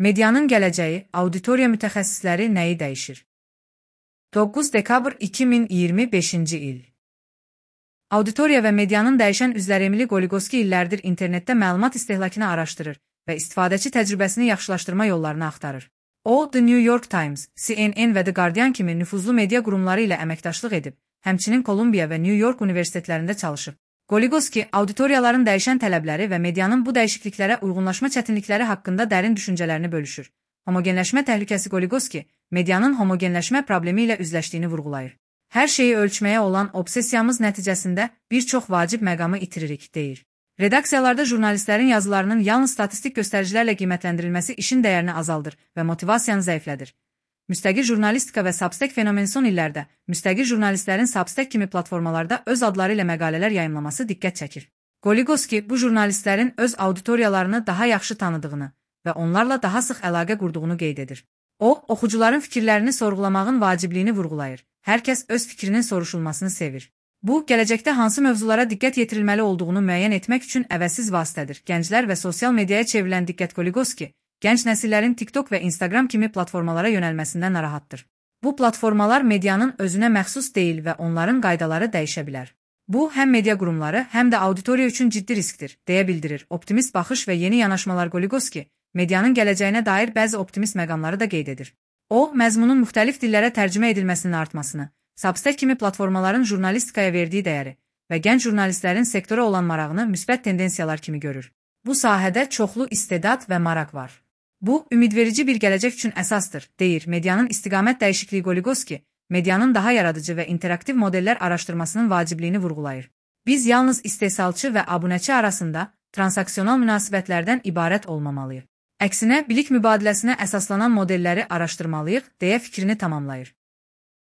Medianın gələcəyi, auditoriya mütəxəssisləri nəyi dəyişir? 9 dekabr 2025-ci il. Auditoriya və medianın dəyişən üzvləri Emily Goligoski illərdir internetdə məlumat istehlakını araşdırır və istifadəçi təcrübəsini yaxşılaşdırma yollarını axtarır. O, The New York Times, CNN və The Guardian kimi nüfuzlu media qurumları ilə əməkdaşlıq edib, həmçinin Kolumbiya və New York universitetlərində çalışıb. Goligoski, auditoriyaların dəyişən tələbləri və medianın bu dəyişikliklərə uyğunlaşma çətinlikləri haqqında dərin düşüncələrini bölüşür. Homogenləşmə təhlükəsi Goligoski, medianın homogenləşmə problemi ilə üzləşdiyini vurğulayır. Hər şeyi ölçməyə olan obsessiyamız nəticəsində bir çox vacib məqamı itiririk, deyir. Redaksiyalarda jurnalistlərin yazılarının yalnız statistik göstəricilərlə qiymətləndirilməsi işin dəyərini azaldır və motivasiyanı zəiflədir. Müstəqil jurnalistika və Substack fenomeni son illərdə müstəqil jurnalistlərin Substack kimi platformalarda öz adları ilə məqalələr yayımlaması diqqət çəkir. Goligoski bu jurnalistlərin öz auditoriyalarını daha yaxşı tanıdığını və onlarla daha sıx əlaqə qurduğunu qeyd edir. O, oxucuların fikirlərini sorğulamağın vacibliyini vurğulayır. Hər kəs öz fikrinin soruşulmasını sevir. Bu, gələcəkdə hansı mövzulara diqqət yetirilməli olduğunu müəyyən etmək üçün əvəzsiz vasitədir. Gənclər və sosial mediaya çevrilən diqqət Goligoski, gənc nəsillərin TikTok və Instagram kimi platformalara yönəlməsindən narahatdır. Bu platformalar medianın özünə məxsus deyil və onların qaydaları dəyişə bilər. Bu, həm media qurumları, həm də auditoriya üçün ciddi riskdir, deyə bildirir. Optimist baxış və yeni yanaşmalar Goligoski, medianın gələcəyinə dair bəzi optimist məqamları da qeyd edir. O, məzmunun müxtəlif dillərə tərcümə edilməsinin artmasını, Substack kimi platformaların jurnalistikaya verdiyi dəyəri və gənc jurnalistlərin sektora olan marağını müsbət tendensiyalar kimi görür. Bu sahədə çoxlu istedad və maraq var. Bu, ümidverici bir gələcək üçün əsasdır, deyir medianın istiqamət dəyişikliyi Goligoski, medianın daha yaradıcı və interaktiv modellər araşdırmasının vacibliyini vurğulayır. Biz yalnız istehsalçı və abunəçi arasında transaksional münasibətlərdən ibarət olmamalıyıq. Əksinə, bilik mübadiləsinə əsaslanan modelləri araşdırmalıyıq, deyə fikrini tamamlayır.